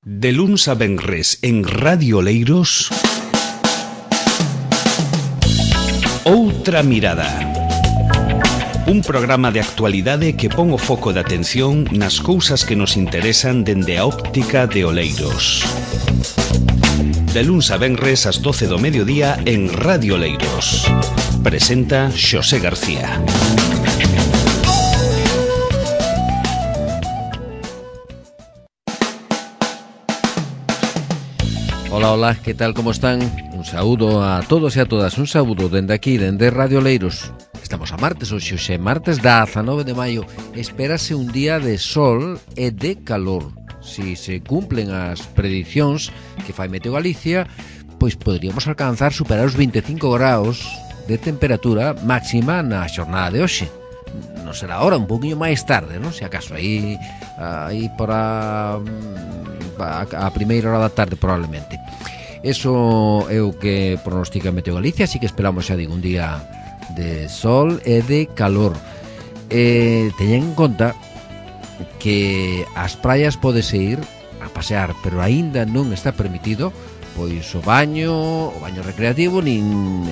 De luns a venres en Radio Oleiros, Outra Mirada. Un programa de actualidade que pon o foco de atención nas cousas que nos interesan dende a óptica de Oleiros. De luns a venres ás 12 do mediodía en Radio Oleiros. Presenta Xosé García. Hola, hola, que tal, como están? Un saúdo a todos e a todas, un saúdo dende aquí, dende Radio Oleiros. Estamos a martes, hoxe é martes 19 de maio. Espérase un día de sol e de calor. Si se cumplen as predicións que fai Meteo Galicia, pois poderíamos alcanzar superar os 25 graus de temperatura máxima na xornada de hoxe. Non será ahora, un poquinho máis tarde, non? Se acaso, aí por a primeira hora da tarde probablemente. Eso é o que pronostica Meteo Galicia, así que esperamos, xa digo, un día de sol e de calor. Teñen en conta que ás praias podese ir a pasear, pero aínda non está permitido pois o baño recreativo, nin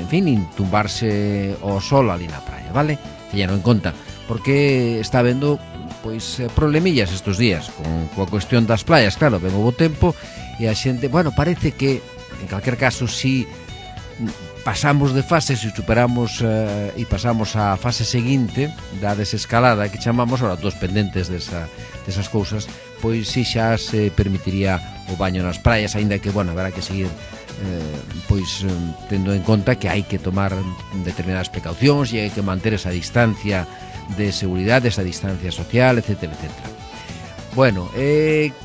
tumbarse ao sol ali na praia, vale? Teñeno en conta, porque está habendo pois problemillas estes días coa cuestión das playas. Claro, ven o bo tempo e a xente, parece que en calquer caso, si pasamos de fase, se superamos e pasamos á fase seguinte da desescalada que chamamos, ahora todos pendentes desas cousas, pois si xa se permitiría o baño nas praias, aínda que, haberá que seguir tendo en conta que hai que tomar determinadas precaucións e hai que manter esa distancia de seguridade, esa distancia social, etcétera, etcétera.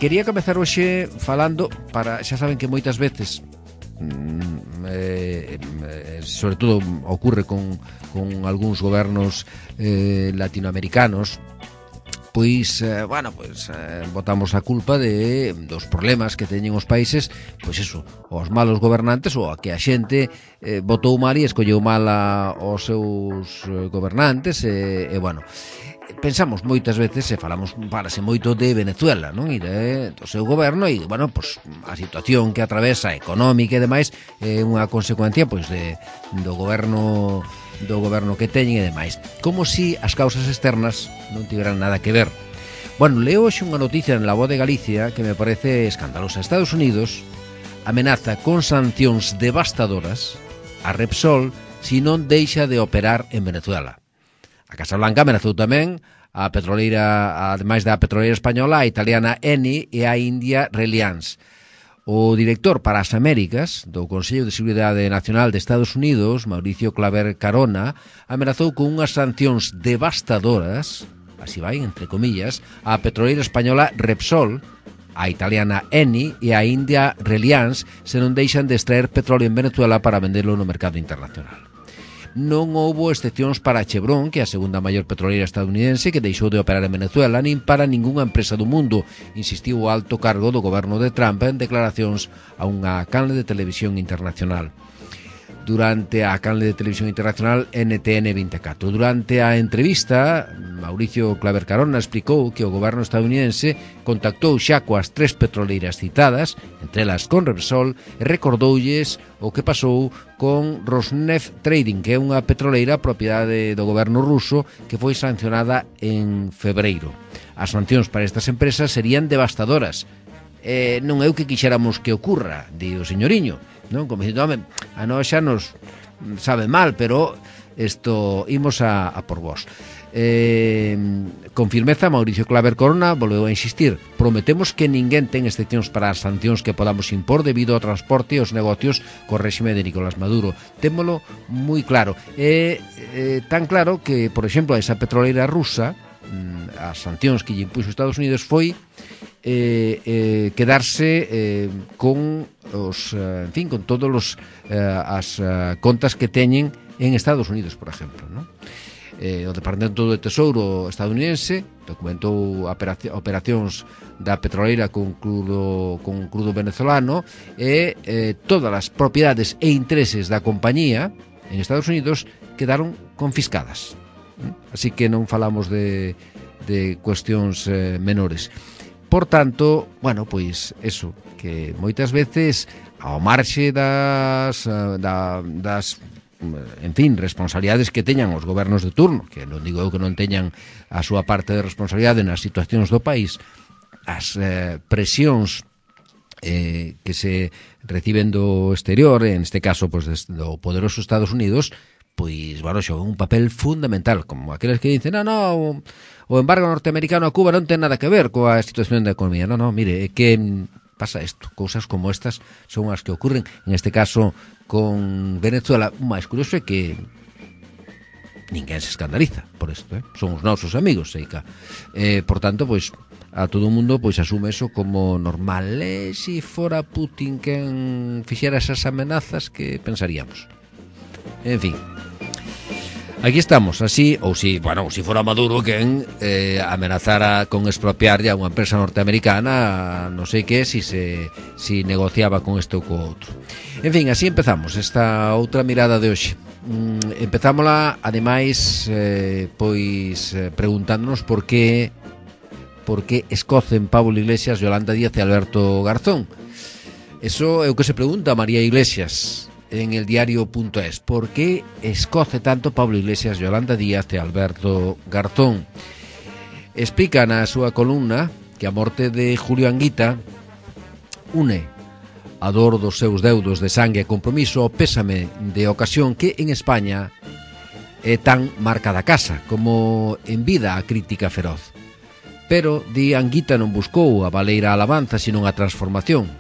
Quería comezar hoxe falando, xa saben que moitas veces sobre todo ocurre con algúns gobernos latinoamericanos, botamos a culpa dos problemas que teñen os países, os malos gobernantes, ou a que a xente votou mal e escolleu mal aos seus gobernantes, pensamos moitas veces e falase moito de Venezuela, non? E do seu goberno, e a situación que atravesa económica e demais é unha consecuencia do goberno que teñen e demais, como si as causas externas non tiveran nada que ver. Leo hoxe unha noticia en La Voz de Galicia que me parece escandalosa. Estados Unidos amenaza con sancións devastadoras a Repsol se non deixa de operar en Venezuela. A Casa Blanca amenazou tamén a petroleira, ademais da petroleira española, a italiana Eni e a india Reliance. O director para as Américas do Consello de Seguridade Nacional de Estados Unidos, Mauricio Claver Carona, amenazou con unhas sancións devastadoras, así vai, entre comillas, a petroleira española Repsol, a italiana Eni e a india Reliance se non deixan de extraer petróleo en Venezuela para venderlo no mercado internacional. Non houbo excepcións para Chevron, que é a segunda maior petroleira estadounidense, que deixou de operar en Venezuela, nin para ningunha empresa do mundo, insistiu o alto cargo do goberno de Trump en declaracións a unha canle de televisión internacional. Durante a canle de televisión internacional NTN 24. Durante a entrevista, Mauricio Claver Carona explicou que o goberno estadounidense contactou xa coas 3 petroleiras citadas, entre elas con Repsol, e recordoulles o que pasou con Rosneft Trading, que é unha petroleira propiedade do goberno ruso que foi sancionada en febreiro. As sancións para estas empresas serían devastadoras. Non é o que quixéramos que ocurra, di o señoriño, non? Como dicindo, a nós xa nos sabe mal, pero isto imos a por vos. Con firmeza, Mauricio Claver Corona volveu a insistir: prometemos que ninguén ten excepcións para as sancións que podamos impor debido ao transporte e aos negocios co réxime de Nicolás Maduro. Témolo moi claro. Tan claro que, por exemplo, a esa petroleira rusa, as sancións que lle impuxo Estados Unidos foi quedarse con todos as contas que teñen en Estados Unidos, por exemplo, non? O Departamento do Tesouro estadounidense documentou operacións da petroleira con crudo venezolano e todas as propiedades e intereses da compañía en Estados Unidos quedaron confiscadas. Así que non falamos de cuestións menores. Por tanto, bueno, pois eso, que moitas veces ao marxe das en fin, responsabilidades que teñan os gobernos de turno, que non digo eu que non teñan a súa parte de responsabilidade nas situacións do país, as presións que se reciben do exterior, en este caso pues, do poderoso Estados Unidos, pois, bueno, xogan un papel fundamental, como aqueles que dicen, no, o embargo norteamericano a Cuba non ten nada que ver coa situación da economía. No, mire, é que pasa isto, cousas como estas son as que ocurren, en este caso con Venezuela. O máis curioso é que ninguén se escandaliza por isto, son os nosos amigos, Seica. Por tanto, pois, a todo o mundo pois asume eso como normal. Se fora Putin quen fixera esas amenazas, que pensaríamos? En fin, aquí estamos, así, ou si fora Maduro quen amenazara con expropiarlle a unha empresa norteamericana, non sei que, si negociaba con isto ou co outro. En fin, así empezamos esta outra mirada de hoxe. Empezámola, ademais, preguntándonos por que escocen Pablo Iglesias, Yolanda Díaz e Alberto Garzón. Eso é o que se pregunta María Iglesias en el diario.es. Por que escoce tanto Pablo Iglesias, Yolanda Díaz e Alberto Garzón? Explica na súa columna que a morte de Julio Anguita une a dor dos seus deudos de sangue e compromiso ao pésame de ocasión que en España é tan marca da casa como en vida a crítica feroz. Pero, di, Anguita non buscou a baleira alabanza, sino a transformación.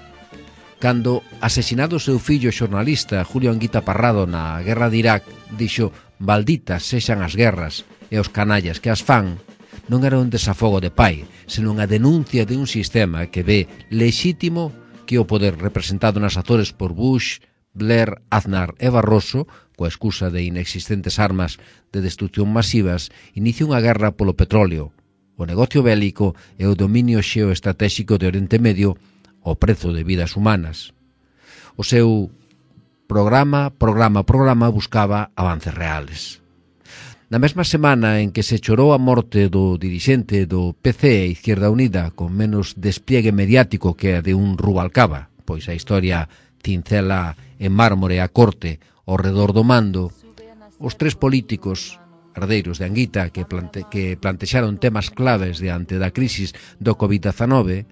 Cando asesinado o seu fillo xornalista Julio Anguita Parrado na guerra de Irak, dixo: malditas sexan as guerras e os canallas que as fan, non era un desafogo de pai, senón a denuncia de un sistema que ve lexítimo que o poder representado nas Azores por Bush, Blair, Aznar e Barroso, coa excusa de inexistentes armas de destrucción masivas, inicia unha guerra polo petróleo, o negocio bélico e o dominio xeoestratéxico de Oriente Medio ao prezo de vidas humanas. O seu programa buscaba avances reales. Na mesma semana en que se chorou a morte do dirixente do PC e Izquierda Unida con menos despliegue mediático que a de un Rubalcaba, pois a historia cincela en mármore a corte ao redor do mando, os tres políticos herdeiros de Anguita que plantexaron temas claves diante da crisis do COVID-19,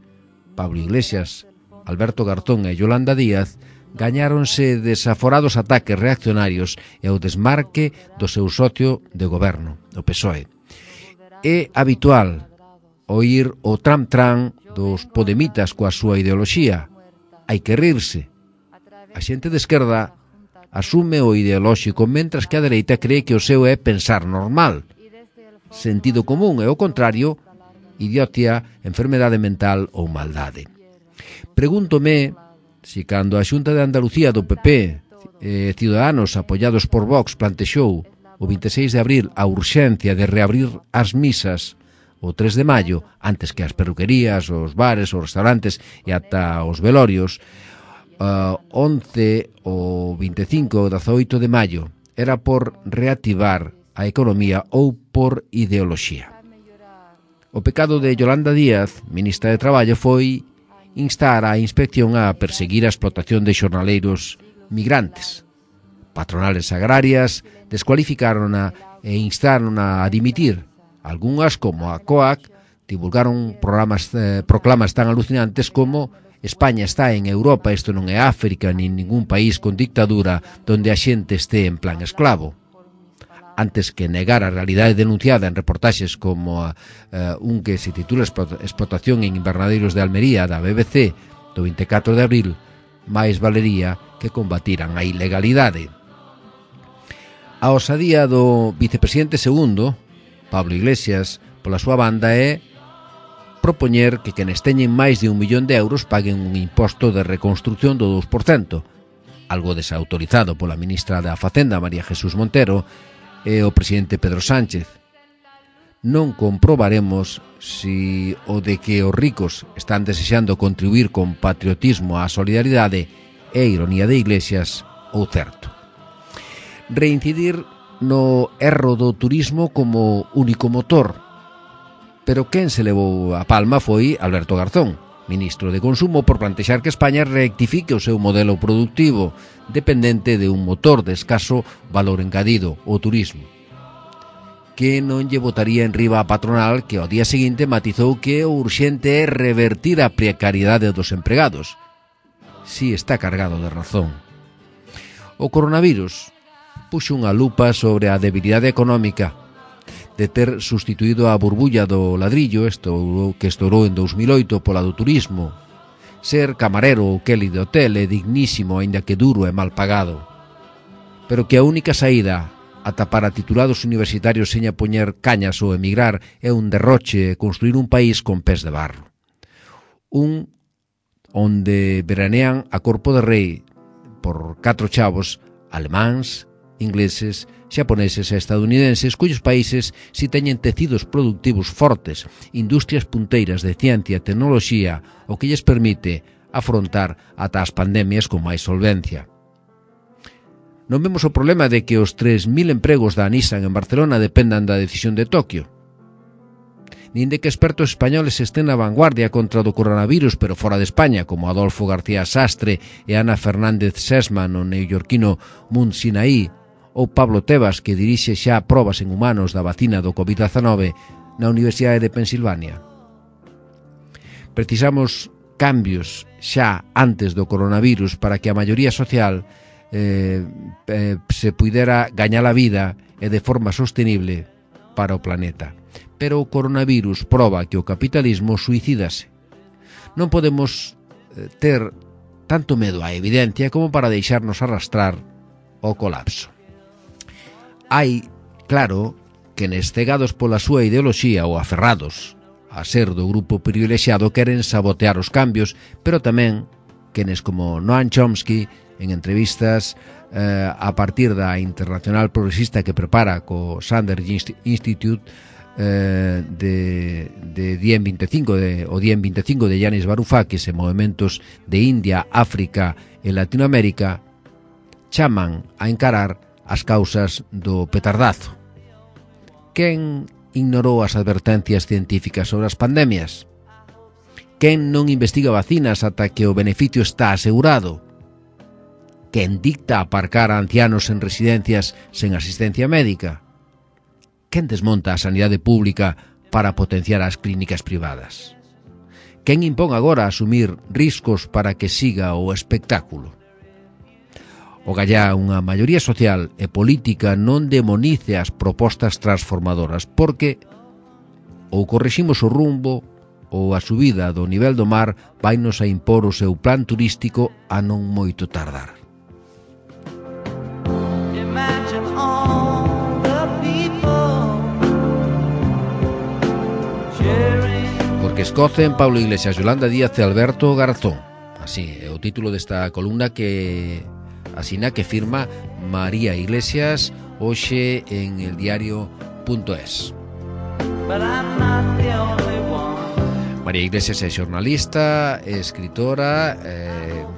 Pablo Iglesias, Alberto Garzón e Yolanda Díaz, gañáronse desaforados ataques reaccionarios e o desmarque do seu socio de goberno, o PSOE. É habitual oír o tram-tram dos podemitas coa súa ideoloxía. Hai que rirse. A xente de esquerda asume o ideolóxico, mentras que a dereita cree que o seu é pensar normal. Sentido común e o contrario, idiotia, enfermedade mental ou maldade. Pregúntome si cando a Xunta de Andalucía do PP Ciudadanos apoiados por Vox plantexou o 26 de abril a urxencia de reabrir as misas o 3 de maio, antes que as perruquerías, os bares, os restaurantes e ata os velorios, 11 ou 25 ou 18 de maio, era por reactivar a economía ou por ideoloxía. O pecado de Yolanda Díaz, ministra de Traballo, foi instar a inspección a perseguir a explotación de xornaleiros migrantes. Patronales agrarias descualificárona e instarona a dimitir. Algunhas, como a COAC, divulgaron proclamas tan alucinantes como España está en Europa, isto non é África nin ningún país con dictadura donde a xente este en plan esclavo. Antes que negar a realidade denunciada en reportaxes como un que se titula Explotación en invernadeiros de Almería da BBC do 24 de abril, máis valería que combatiran a ilegalidade. A osadía do vicepresidente segundo, Pablo Iglesias, pola súa banda é propoñer que quenes teñen máis de 1 millón de euros paguen un imposto de reconstrucción do 2%, algo desautorizado pola ministra da Facenda, María Jesús Montero, e o presidente Pedro Sánchez. Non comprobaremos si o de que os ricos están desexando contribuir con patriotismo á solidaridade é ironía de Iglesias ou certo. Reincidir no erro do turismo como único motor. Pero quen se levou a palma foi Alberto Garzón, ministro de Consumo, por plantexar que España rectifique o seu modelo productivo, dependente de un motor de escaso valor engadido, o turismo. Que non lle botaría en riba a patronal, que ao día seguinte matizou que o urxente é revertir a precariedade dos empregados. Si está cargado de razón. O coronavirus puxo unha lupa sobre a debilidade económica de ter sustituído a burbulla do ladrillo, que estourou en 2008 pola do turismo. Ser camarero ou Kelly de hotel é dignísimo, aínda que duro e mal pagado. Pero que a única saída ata para titulados universitarios seña poñer cañas ou emigrar é un derroche e construir un país con pés de barro. Un onde veranean a corpo de rei por 4 chavos alemáns, ingleses, xaponeses e estadounidenses, cuyos países si teñen tecidos productivos fortes, industrias punteiras de ciencia e tecnoloxía, o que lles permite afrontar ata as pandemias con máis solvencia. Non vemos o problema de que os 3.000 empregos da Nissan en Barcelona dependan da decisión de Tokio, nin de que expertos españoles estén na vanguardia contra o coronavirus, pero fora de España, como Adolfo García Sastre e Ana Fernández Sesman, o neoyorquino Mount Sinai, ou Pablo Tebas, que dirixe xa probas en humanos da vacina do COVID-19 na Universidade de Pensilvania. Precisamos cambios xa antes do coronavirus para que a maioría social se puidera gañar a vida e de forma sostenible para o planeta. Pero o coronavirus proba que o capitalismo suicídase. Non podemos ter tanto medo á evidencia como para deixarnos arrastrar ao colapso. Hai, claro, quenes cegados pola súa ideoloxía ou aferrados a ser do grupo privilexiado queren sabotear os cambios, pero tamén quenes como Noam Chomsky en entrevistas a partir da Internacional Progresista que prepara co Sanders Institute de Diem 25 o Diem 25 de Yanis Varoufakis e movimentos de India, África e Latinoamérica chaman a encarar as causas do petardazo. Quen ignorou as advertencias científicas sobre as pandemias? Quen non investiga vacinas ata que o beneficio está asegurado? Quen dicta aparcar a ancianos en residencias sen asistencia médica? Quen desmonta a sanidade pública para potenciar as clínicas privadas? Quen impón agora asumir riscos para que siga o espectáculo? O gallá unha maioría social e política non demonice as propostas transformadoras, porque ou correximos o rumbo ou a subida do nivel do mar vainos a impor o seu plan turístico a non moito tardar. Porque escocen Pablo Iglesias, Yolanda Díaz e Alberto Garzón. Así é o título desta columna que asina que firma María Iglesias hoxe en el diario.es. María Iglesias é xornalista, é escritora,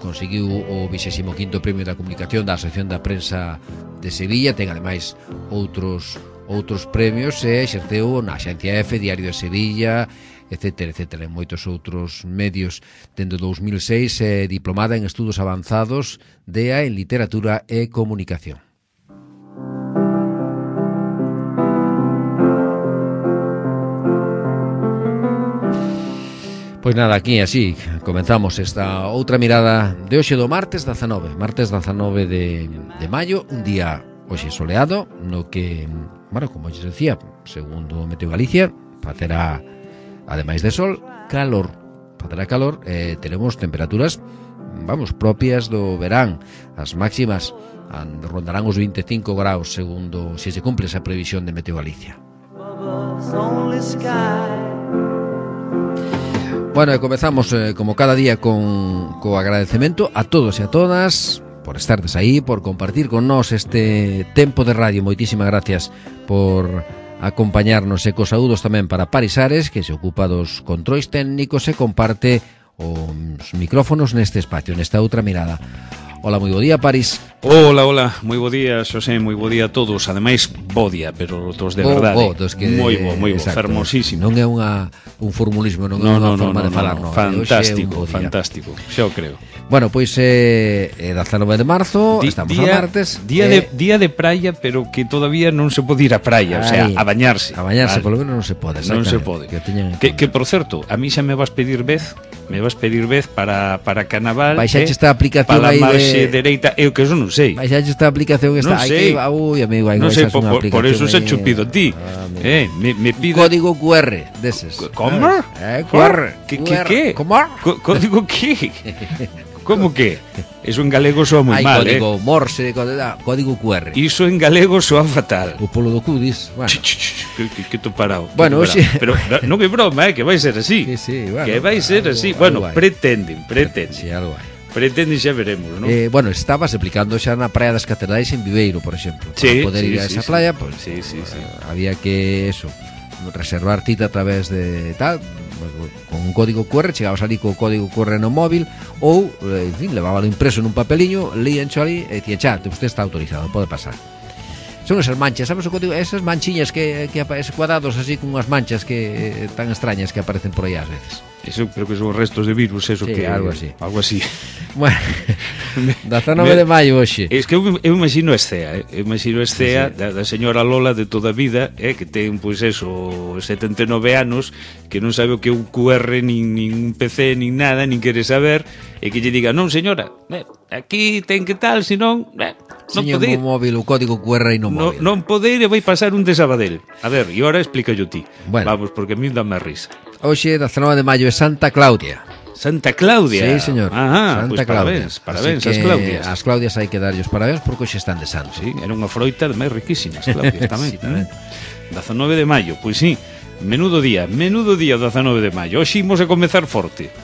conseguiu o 25º Premio da Comunicación da Asociación da Prensa de Sevilla, ten ademais outros premios e exerceu na Axencia F, Diario de Sevilla, etcétera, en moitos outros medios. Dende 2006 é diplomada en Estudos Avanzados DEA en Literatura e Comunicación. Pois nada, aquí así comenzamos esta outra mirada de hoxe do martes 19 de maio, un día hoxe soleado, no que, bueno, como xa decía, segundo Meteo Galicia, facerá, ademais de sol, calor. Facerá calor, teremos temperaturas, vamos, propias do verán. As máximas rondarán os 25 graus, segundo se cumpre esa previsión de Meteo Galicia. Bueno, e comezamos como cada día co agradecemento a todos e a todas por estardes aí, por compartir con nós este tempo de radio. Moitísimas gracias por acompañarnos e cos saúdos tamén para Paris Ares, que se ocupa dos controis técnicos e comparte os micrófonos neste espacio, nesta outra mirada. Hola, moi bo día, Paris. Hola, moi bo día, Xosé, moi bo día a todos. Ademais, bo día, pero dos de verdade. Moi bo, fermosísimo. Non é un formulismo, non é unha forma de falar, non. Fantástico, xa o creo. Bueno, pois é 19 de marzo, estamos a martes. Día de praia, pero que todavía non se pode ir á praia, o sea, a bañarse. A bañarse, polo menos non se pode. Non se pode. Que por certo, a mí xa me vas pedir vez para Carnaval. Baixaxe esta aplicación aí de... Para a marxe dereita, eu que eso non sei. Baixaxe esta aplicación que está aí. Ui, amigo, aí baixas unha aplicación. Por eso se chupido ti. Me pide... Código QR deses. Como? QR. Que? Como? Código que? Como que? Eso en galego soa moi mal, código Morse, código QR. Iso en galego soa fatal. O polo do Cudis. Bueno. Que tô parado. Bueno, hoxe... Pero non é broma, que vai ser así. Sí, bueno. Que vai ser así. Bueno, pretenden. Sí, algo hai. Pretenden, xa veremos, non? Bueno, estabas aplicando xa na Praia das Catedrais en Viveiro, por exemplo. Para poder ir a esa playa, pues, sí. Había que, reservar cita a través de tal... con un código QR, chegabas ali co código QR no móvil ou, en fin, levábalo impreso nun papeliño, líancho ali e dicía, xa, usted está autorizado, pode pasar. Son esas manchas, sabes o código? Esas manchiñas que esos cuadrados así con unhas manchas que tan extrañas que aparecen por aí ás veces. Eso creo que son restos de virus, eso, sí, que algo así. Bueno, 19 de maio hoxe. Es que eu imagino a escea, eu imagino a escea da señora Lola de toda a vida, que ten, pois eso, 79 anos, que non sabe o que é un QR, nin un PC, nin nada, nin quere saber, e que lle diga, non señora, aquí ten que tal, senón, non pode ir. Señor móvil, o código QR aí no móvil. Non pode ir e vai pasar un de Sabadell. A ver, e ahora explícallo ti. Bueno. Vamos, porque a mí dame a risa. Hoxe, 19 de maio, é Santa Claudia. Santa Claudia? Sí, señor. Santa Claudia. Parabéns ás Claudias. As Claudias hai que darlle os parabéns porque hoxe están de santo. Sí, era unha froita de máis riquísimas, Claudias tamén. Sí, tamén. 19 de maio, pois sí. Menudo día 19 de maio. Hoxe imos a comezar forte.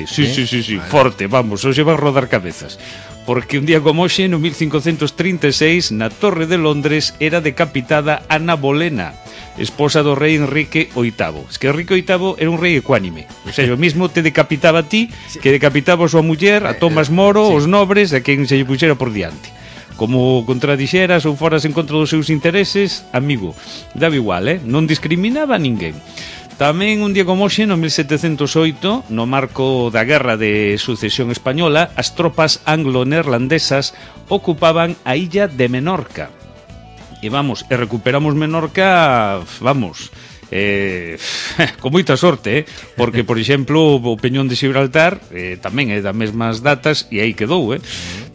Sí, vale. Forte, vamos, hoxe vai rodar cabezas. Porque un día como hoxe, no 1536, na Torre de Londres, era decapitada Ana Bolena, esposa do rei Enrique VIII. Es que Enrique VIII era un rei ecuánime. O sea, o mismo te decapitaba a ti, que decapitaba a súa muller, a Tomás Moro, os nobres, a quen se lle puxera por diante. Como contradixeras ou foras en contra dos seus intereses, amigo, daba igual, non discriminaba a ninguén. Tamén un día como hoxe, no 1708, no marco da Guerra de Sucesión Española, as tropas anglo-neerlandesas ocupaban a illa de Menorca. E recuperamos Menorca, con moita sorte, porque, por exemplo, o Peñón de Gibraltar tamén é das mesmas datas e aí quedou,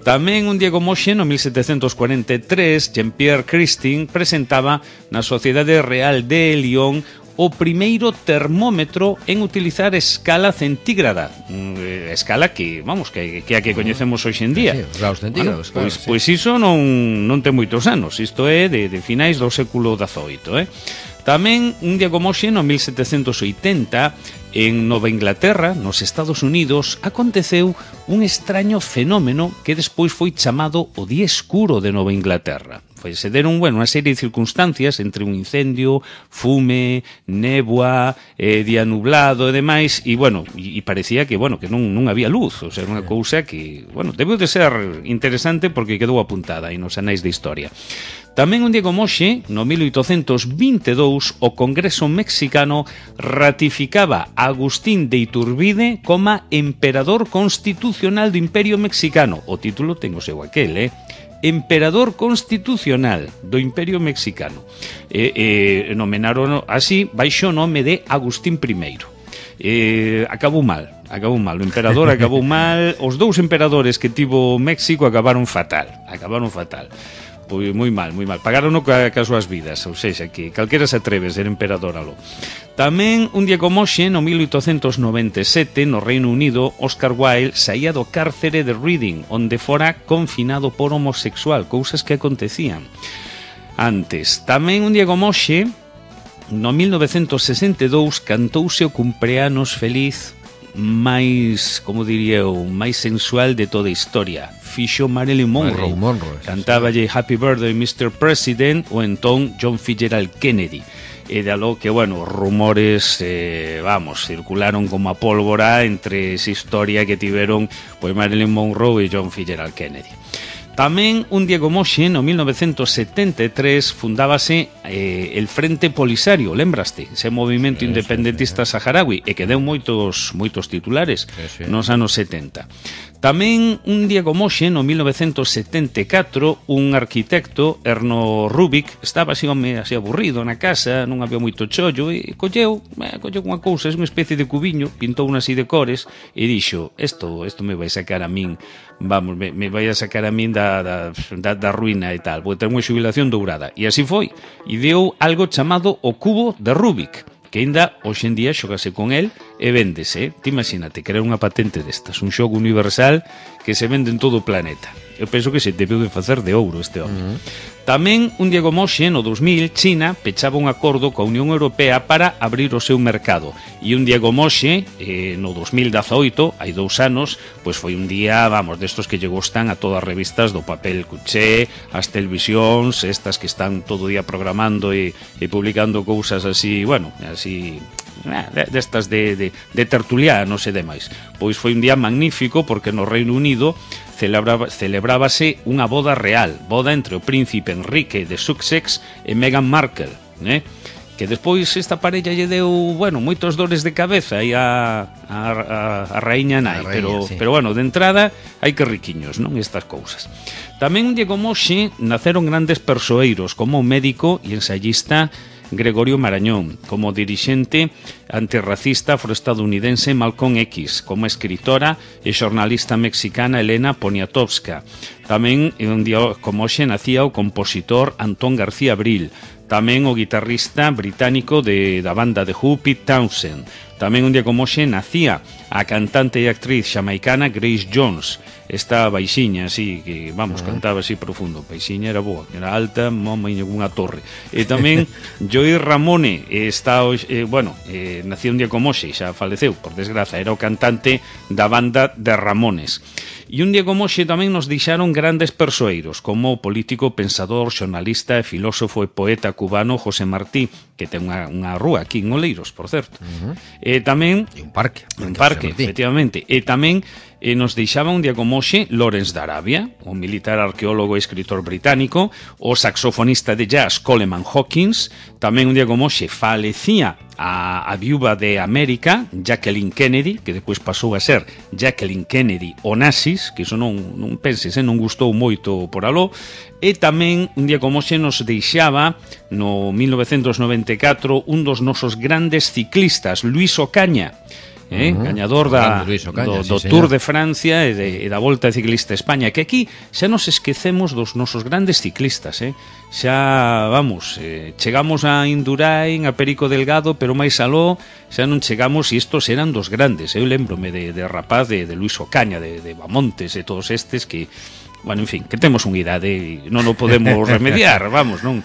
Tamén un día como hoxe, no 1743, Jean-Pierre Christine presentaba na Sociedade Real de Lyon o primeiro termómetro en utilizar escala centígrada, escala que, que a que coñecemos hoxe en día. Sí, os graus centígrados, claro. Pois iso non ten moitos anos, isto é de finais do século XVIII, Tamén, un día como hoxe, no 1780, en Nova Inglaterra, nos Estados Unidos, aconteceu un extraño fenómeno que despois foi chamado o Día Escuro de Nova Inglaterra. Se deron, unha serie de circunstancias entre un incendio, fume, néboa, día nublado e demais, e parecía que non había luz, o sea, unha cousa que, debeu de ser interesante porque quedou apuntada aí nos anais de historia. Tamén un día como hoxe, no 1822, o Congreso mexicano ratificaba a Agustín de Iturbide como emperador constitucional do Imperio Mexicano. O título ten o seu aquel, Emperador Constitucional do Imperio Mexicano. Nomenaron así baixo o nome de Agustín I. Acabou mal, o emperador acabou mal. Os dous emperadores que tivo México acabaron fatal. Pois moi mal. Pagaron cas súas vidas, ou seja, que calquera se atreve a ser emperador aló. Tamén, un día como hoxe, no 1897, no Reino Unido, Oscar Wilde saía do cárcere de Reading, onde fora confinado por homosexual, cousas que acontecían antes. Tamén, un día como hoxe, no 1962, cantouse o cumpleanos feliz máis, como diría eu, máis sensual de toda a historia. Fixo Marilyn Monroe. Cantáballe Happy Birthday Mr. President, ou entón John Fitzgerald Kennedy. E de aló que, rumores, circularon como a pólvora entre esa historia que tiveron Marilyn Monroe e John Fitzgerald Kennedy. Tamén un Diego Moxe no 1973 fundábase el Frente Polisario, lembraste? Ese movimento independentista saharaui e que deu moitos titulares nos anos 70. Tamén un Diego Moxe no 1974, un arquitecto, Erno Rubik, estaba así aburrido na casa, non había moito chollo, e colleu unha cousa, é unha especie de cubiño, pintou unha así de cores e dixo, isto me vai sacar a min, vamos, me vai a sacar a min da ruína e tal, vou ter unha xubilación dourada. E así foi, e deu algo chamado o cubo de Rubik, que ainda hoxe en día xogase con el e véndese. Te imagínate, crear unha patente destas, un xogo universal que se vende en todo o planeta. Eu penso que se debeu de facer de ouro este home. Tamén un Diego Moxe no 2000, China pechaba un acordo coa Unión Europea para abrir o seu mercado. E un Diego Moxe no 2018, hai 2 anos, pois foi un día, vamos, destos que lle gustan a todas as revistas do papel cuché, as televisións, estas que están todo o día programando e publicando cousas así, bueno, así destas de tertulianos e demais. Pois foi un día magnífico porque no Reino Unido celebrábase unha boda real, boda entre o príncipe Enrique de Sussex e Meghan Markle, que despois esta parella lle deu, bueno, moitos dores de cabeza e a raíña nai, pero bueno, de entrada hai que riquiños, non, estas cousas. Tamén Diego Moxe naceron grandes persoeiros, como o médico e ensayista Gregorio Marañón, como dirixente antirracista afroestadounidense Malcolm X, como escritora e xornalista mexicana Elena Poniatowska. Tamén un día como hoxe nacía o compositor Antón García Abril, tamén o guitarrista británico da banda de Who, Pete Townshend. Tamén un día como hoxe nacía a cantante e actriz xamaicana Grace Jones, esta baixiña así, que vamos, cantaba así profundo. Baixiña era boa, era alta, mamaña unha torre. E tamén Joey Ramone nació un día como hoxe, xa faleceu, por desgraza, era o cantante da banda de Ramones. E un día como hoxe tamén nos deixaron grandes persoeiros, como o político, pensador, xornalista e filósofo e poeta cubano José Martí, que ten unha rúa aquí en Oleiros, por certo. E tamén un parque, efectivamente. E tamén nos deixaba un día como hoxe Lawrence de Arabia, o militar, arqueólogo e escritor británico, o saxofonista de jazz Coleman Hawkins. Tamén un día como hoxe falecía a viúva de América, Jacqueline Kennedy, que depois pasou a ser Jacqueline Kennedy Onassis, que iso non penses, non gustou moito por aló. E tamén un día como hoxe nos deixaba no 1994 un dos nosos grandes ciclistas, Luis Ocaña, gañador do Tour de Francia e da Volta Ciclista a España, que aquí xa nos esquecemos dos nosos grandes ciclistas, xa, vamos, chegamos a Indurain, a Perico Delgado, pero máis aló xa non chegamos, e estos eran dos grandes. Eu lembrome de rapaz de Luis Ocaña, de Bamontes e todos estes que, bueno, en fin, que temos unha idade e non o podemos remediar, vamos, non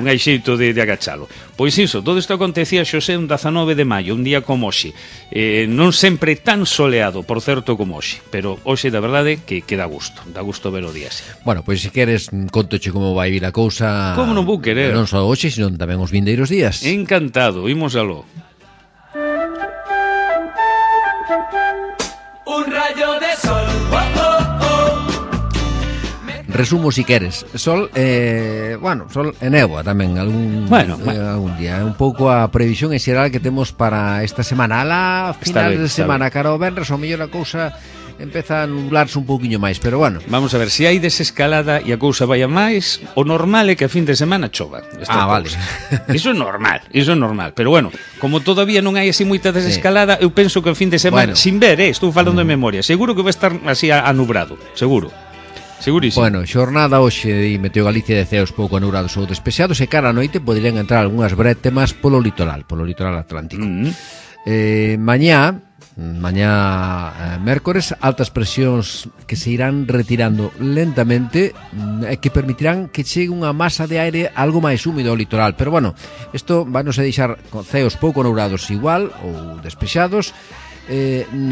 hai xeito de agachalo. Pois iso, todo isto acontecía xosé un 19 de maio, un día como hoxe, non sempre tan soleado, por certo, como hoxe, pero hoxe, da verdade, que dá gusto ver o día así. Bueno, pois se queres, contoche como vai vir a cousa. Como non vou querer? Non só hoxe, sino tamén os vindeiros días. Encantado, imos aló. Un rayo de sol, Resumo si queres. Sol, sol e néboa tamén algún día. Un pouco a previsión en xeral que temos para esta semana. A final de semana, cara ao venres, ao mellor a cousa empeza a nublarse un pouquiño máis, pero bueno. Vamos a ver, se hai desescalada e a cousa vai a máis, o normal é que a fin de semana chova. Vale. Iso é normal, pero bueno, como todavía non hai así moita desescalada, eu penso que a fin de semana, sin ver, estou falando de memoria, seguro que vai estar así anubrado, seguro. Segurísimo. Bueno, xornada hoxe de Meteo Galicia de ceos pouco anubrados ou despexados, e cara a noite poderían entrar algunhas brétemas polo litoral Atlántico. Mañá mércores, altas presións que se irán retirando lentamente e que permitirán que chegue unha masa de aire algo máis húmido ao litoral, pero bueno, isto vanos a deixar con ceos pouco anubrados igual ou despexados.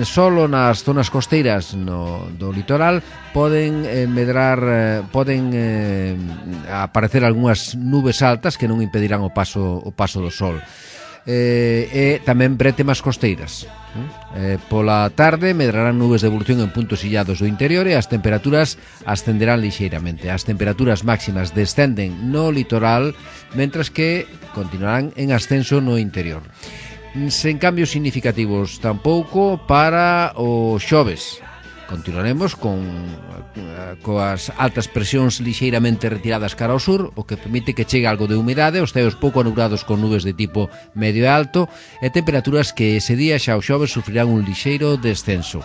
Solo nas zonas costeiras do litoral poden aparecer algunhas nubes altas que non impedirán o paso do sol. e tamén brétemas costeiras. Pola tarde medrarán nubes de evolución en puntos illados do interior e as temperaturas ascenderán lixeiramente. As temperaturas máximas descenden no litoral, mentras que continuarán en ascenso no interior. Sen cambios significativos tampouco para o xoves. Continuaremos coas altas presións lixeiramente retiradas cara ao sur, o que permite que chegue algo de humidade, os ceos pouco anubrados con nubes de tipo medio e alto e temperaturas que ese día xa o xoves sufrirán un lixeiro descenso.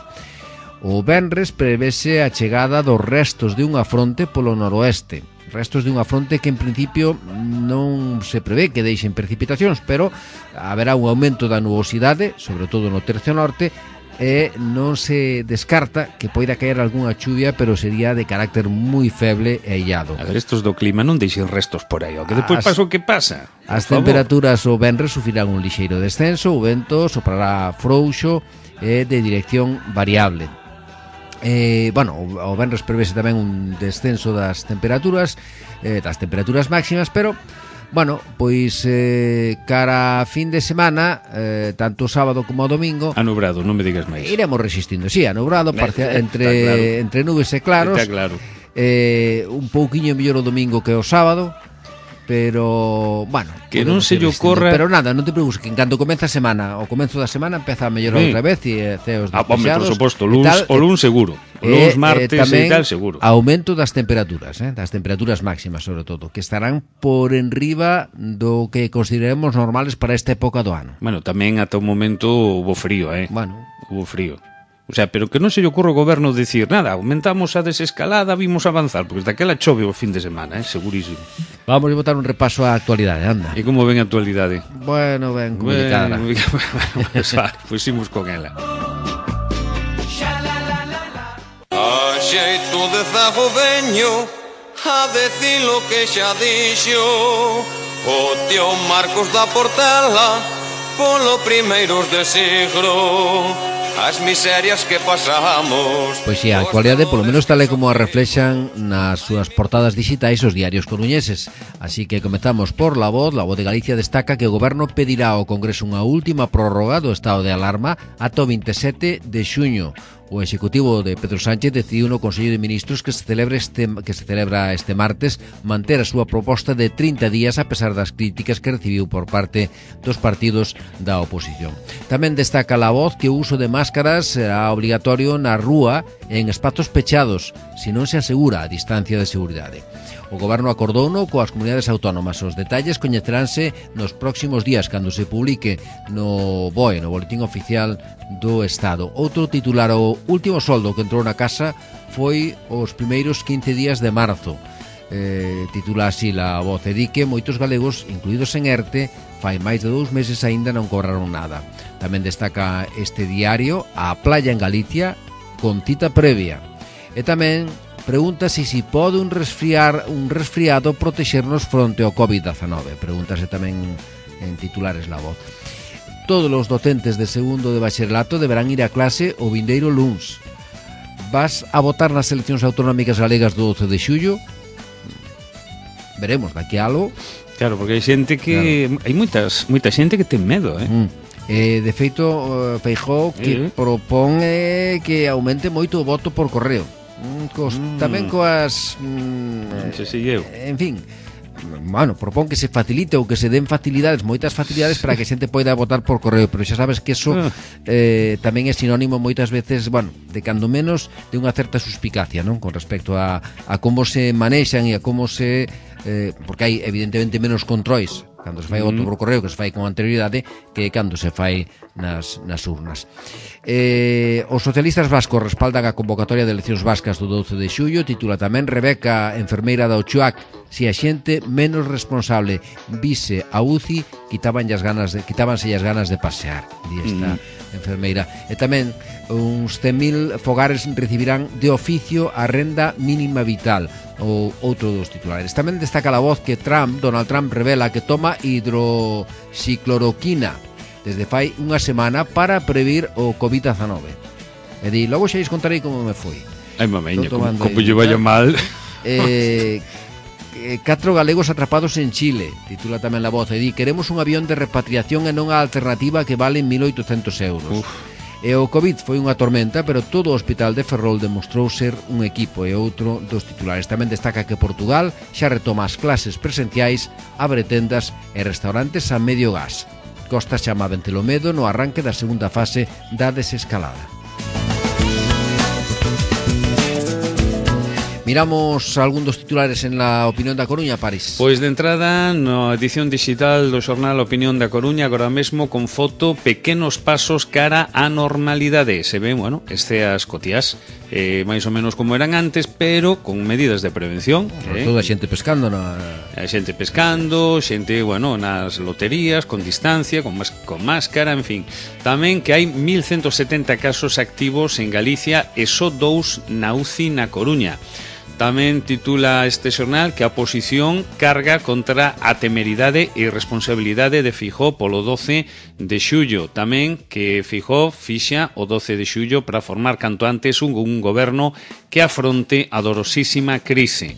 O venres prevese a chegada dos restos de unha fronte polo noroeste. Restos de unha fronte que en principio non se prevé que deixen precipitacións, pero haberá un aumento da nubosidade, sobre todo no tercio norte, e non se descarta que poida caer algunha chuvia, pero sería de carácter moi feble e illado. A ver, estos do clima non deixen restos por aí, o que depois pasa o que pasa. As temperaturas o venres sufrirán un lixeiro descenso, o vento soprará frouxo e de dirección variable. O venres prevese tamén un descenso das temperaturas máximas, pero pois cara a fin de semana, tanto o sábado como o domingo, anubrado, non me digas máis. Iremos resistindo, anubrado, entre nubes e claros. Está claro. Un pouquiño mellor o domingo que o sábado, pero, que non se lle ocorra. Pero nada, non te preocupes, que en canto comeza a semana, o comenzo da semana empeza a mellorar outra vez e ceos despexados. Por suposto, o luns seguro. O luns, martes e tal seguro. Aumento das temperaturas, das temperaturas máximas, sobre todo, que estarán por enriba do que consideremos normales para esta época do ano. Tamén ata o momento hubo frío, Hubo frío. O sea, pero que non se lle ocorre ao goberno dicir nada, aumentamos a desescalada, vimos avanzar, porque daquela chove o fin de semana, segurísimo. Vamos a botar un repaso á actualidade, anda. E como ven a actualidade? Ben complicada. Pois imos con ela. A xeito de zago veño a decir lo que xa dixo o tío Marcos da Portela polo primeiros de siglo. As miserias que pasamos. Pois a actualidade, polo menos tal e como a reflexan nas súas portadas digitais os diarios coruñeses. Así que comezamos por La Voz. La Voz de Galicia destaca que o Goberno pedirá ao Congreso unha última prórroga do estado de alarma ata o 27 de xuño. O Executivo de Pedro Sánchez decidiu no Consello de Ministros que se celebra este martes manter a súa proposta de 30 días a pesar das críticas que recibiu por parte dos partidos da oposición. Tamén destaca La Voz que o uso de máscaras será obligatorio na rúa e en espazos pechados, se non se asegura a distancia de seguridade. O Goberno acordouno coas comunidades autónomas. Os detalles coñeceránse nos próximos días cando se publique no BOE, no Boletín Oficial do Estado. Outro titular, o último soldo que entrou na casa foi os primeiros 15 días de marzo. Titula así La Voz, e di que moitos galegos, incluídos en ERTE, fai máis de 2 meses aínda non cobraron nada. Tamén destaca este diario a playa en Galicia con cita previa. E tamén pregúntase se pode un resfriado protexernos fronte ao COVID-19. Pregúntase tamén en titulares La Voz. Todos os docentes de segundo de bacharelato deberán ir a clase o vindeiro luns. Vas a votar nas eleccións autonómicas galegas do 12 de xullo? Veremos, daqui a algo. Claro, porque hai xente que hai moita xente que ten medo, De feito, Feijóo que propón que aumente moito o voto por correo. Tamén coas en fin, propón que se facilite ou que se den facilidades, moitas facilidades para que a xente poida votar por correo, pero xa sabes que eso tamén é sinónimo moitas veces, de cando menos de unha certa suspicacia, non? Con respecto a como se manexan e a como se porque hai evidentemente menos controis cando se fai voto por correo que se fai con anterioridade que cando se fai nas urnas. Os socialistas vascos respaldan a convocatoria de eleccións vascas do 12 de xullo. Titula tamén Rebeca, enfermeira da Ochoac, se a xente menos responsable vise a UCI quítabanse as ganas de pasear, di esta enfermeira. E tamén uns 100.000 fogares recibirán de oficio a renda mínima vital, ou outro dos titulares. Tamén destaca La Voz que Donald Trump revela que toma hidroxicloroquina desde fai unha semana para previr o COVID-19. E di, logo xa contarei como me foi. Ai, mameña, como lle vaya mal. 4 galegos atrapados en Chile, titula tamén La Voz, e di: queremos un avión de repatriación e non a alternativa que vale 1.800 euros. E o COVID foi unha tormenta, pero todo o hospital de Ferrol demostrou ser un equipo. E outro dos titulares tamén destaca que Portugal xa retoma as clases presenciais, abre tendas e restaurantes a medio gas. Costa chama a Ventelomedo no arranque da segunda fase da desescalada. Miramos algún dos titulares en la Opinión da Coruña, París. Pois de entrada, na edición digital do xornal Opinión da Coruña, agora mesmo con foto, pequenos pasos cara á normalidade. Se ven, bueno, esceas cotiás, máis ou menos como eran antes, pero con medidas de prevención. Sobre todo a xente pescando a xente pescando, xente, bueno, nas loterías, con distancia, con máscara, en fin. Tamén que hai 1.170 casos activos en Galicia e só 2 na UCI na Coruña. Tamén titula este xornal que a oposición carga contra a temeridade e irresponsabilidade de Feijóo polo 12 de xullo. Tamén que Feijóo fixa o 12 de xullo para formar canto antes un goberno que afronte a dolorosísima crise.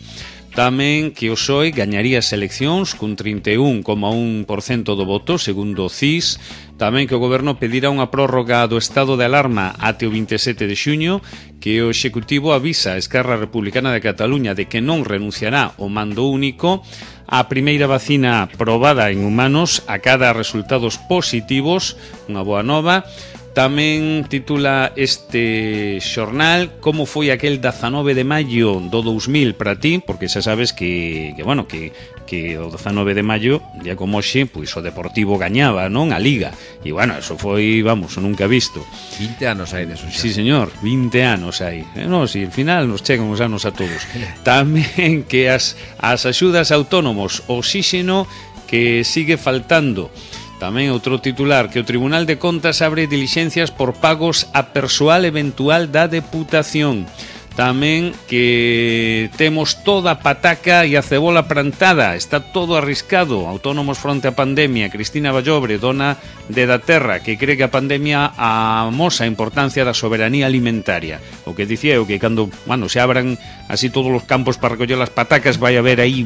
Tamén que o PSOE gañaría as eleccións cun 31,1% do voto, segundo o CIS. Tamén que o goberno pedirá unha prórroga do estado de alarma até o 27 de xuño, que o Executivo avisa a Esquerra Republicana de Cataluña de que non renunciará ao mando único, a primeira vacina probada en humanos acada resultados positivos, unha boa nova. Tamén titula este xornal como foi aquel 19 de maio do 2000 para ti, porque xa sabes que o 19 de maio, día como hoxe, pois o Deportivo gañaba, non? A Liga. E, bueno, eso foi, vamos, nunca visto. 20 anos hai deso xa. Sí, señor, 20 anos hai. No, si, al final nos chegan os anos a todos. Tamén que as axudas autónomos, oxíxeno que sigue faltando. Tamén outro titular, que o Tribunal de Contas abre dilixencias por pagos a persoal eventual da Deputación. Tamén que temos toda a pataca e a cebola plantada, está todo arriscado. Autónomos fronte á pandemia. Cristina Vallobre, dona de Da Terra, que cree que a pandemia amosa a importancia da soberanía alimentaria. O que dicía eu que cando, se abran así todos os campos para recoller as patacas, vai haber aí,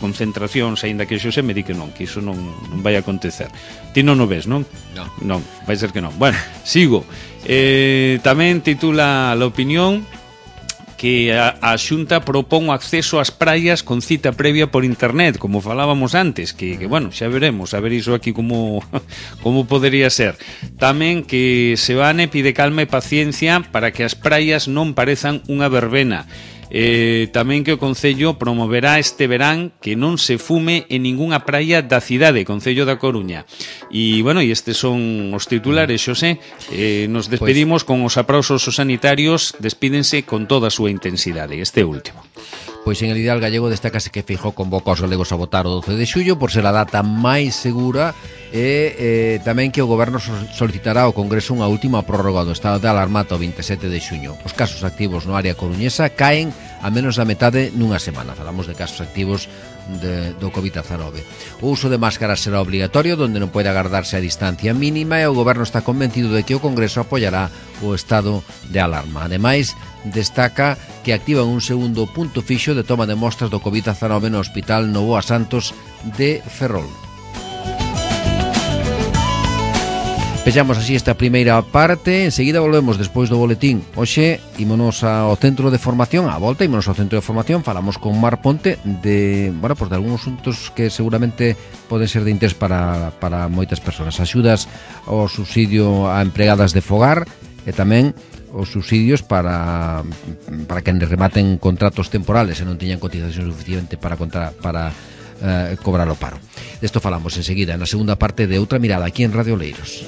concentracións, aínda que Xosé me di que non, que iso non vai acontecer. Ti non o ves, non? Non, vai ser que non. Bueno, sigo. Tamén titula La Opinión que a Xunta propón o acceso ás praias con cita previa por internet, como falábamos antes, que xa veremos, a ver iso aquí como podería ser. Tamén que Seoane pide calma e paciencia para que as praias non parezan unha verbena. Tamén que o Concello promoverá este verán que non se fume en ningunha praia da cidade, Concello da Coruña. E, estes son os titulares, Xosé. Nos despedimos con os aplausos aos sanitarios, despídense con toda a súa intensidade, este último. Pois en el ideal gallego destácase que Feijóo convoca aos galegos a votar o 12 de xullo por ser a data máis segura e tamén que o goberno solicitará ao Congreso unha última prórroga do estado de alarma ata o 27 de xuño. Os casos activos no área coruñesa caen a menos da metade nunha semana. Falamos de casos activos do COVID-19. O uso de máscaras será obligatorio, donde non pode agardarse a distancia mínima, e o goberno está convencido de que o Congreso apoiará o estado de alarma. Ademais, destaca que activan un segundo punto fixo de toma de mostras do COVID-19 no Hospital Novoa Santos de Ferrol. Pechamos así esta primeira parte. Enseguida volvemos despois do boletín. Hoxe ímonos ao centro de formación, á volta ímonos ao centro de formación. Falamos con Mar Ponte de algúns asuntos que seguramente poden ser de interés para moitas persoas. Axudas ao subsidio a empregadas de fogar e tamén os subsidios para quen rematen contratos temporales e non teñan cotización suficiente para cobrar o paro. Desto falamos enseguida na segunda parte de Outra Mirada aquí en Radio Oleiros.